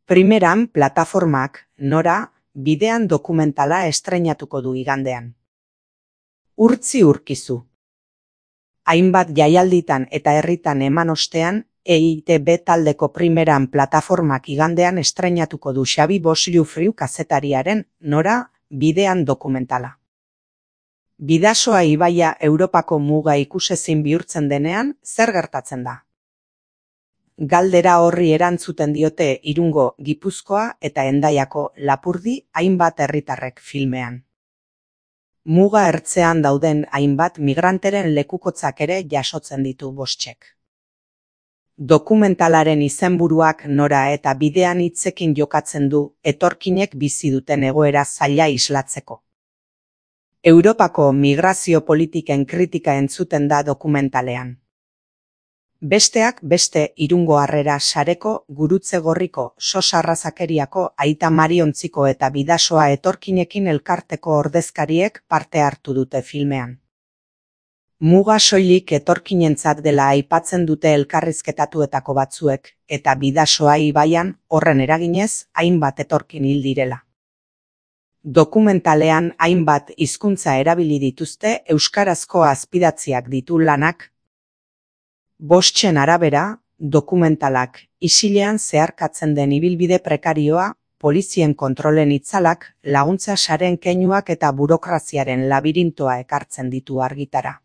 Primeran plataformak Nora bidean dokumentala estreinatuko du igandean. Urtzi urkizu. Hainbat jaialditan eta herritan eman ostean, EITB taldeko Primeran plataformak igandean estreinatuko du Xabi Boslufriu kazetariaren Nora bidean dokumentala. Bidasoa ibaia Europako muga ikusezin bihurtzen denean, zer gertatzen da? Galdera horri erantzuten diote Irungo, Gipuzkoa eta Hendaiako Lapurdi hainbat herritarrek filmean. Muga ertzean dauden hainbat migranteren lekukotzak ere jasotzen ditu Bostxek. Dokumentalaren izenburuak Nora eta bidean hitzekin jokatzen du etorkinek bizi duten egoera zaila islatzeko. Europako migrazio politiken kritika entzuten da dokumentalean. Besteak beste Irungo Harrera sareko Gurutze Gorriko Sosa Arrazakeriako Aita Mariontziko eta Bidasoa etorkinekin elkarteko ordezkariek parte hartu dute filmean. Muga soilik etorkinentzat dela aipatzen dute elkarrizketatuetako batzuek eta Bidasoa ibaian horren eraginez hainbat etorkin hil direla. Dokumentalean hainbat hizkuntza erabili dituzte euskarazko azpidatziak ditu lanak. Bostxen arabera, dokumentalak isilean zeharkatzen den ibilbide prekarioa, polizien kontrolen itzalak, laguntza saren keinuak eta burokraziaren labirintoa ekartzen ditu argitara.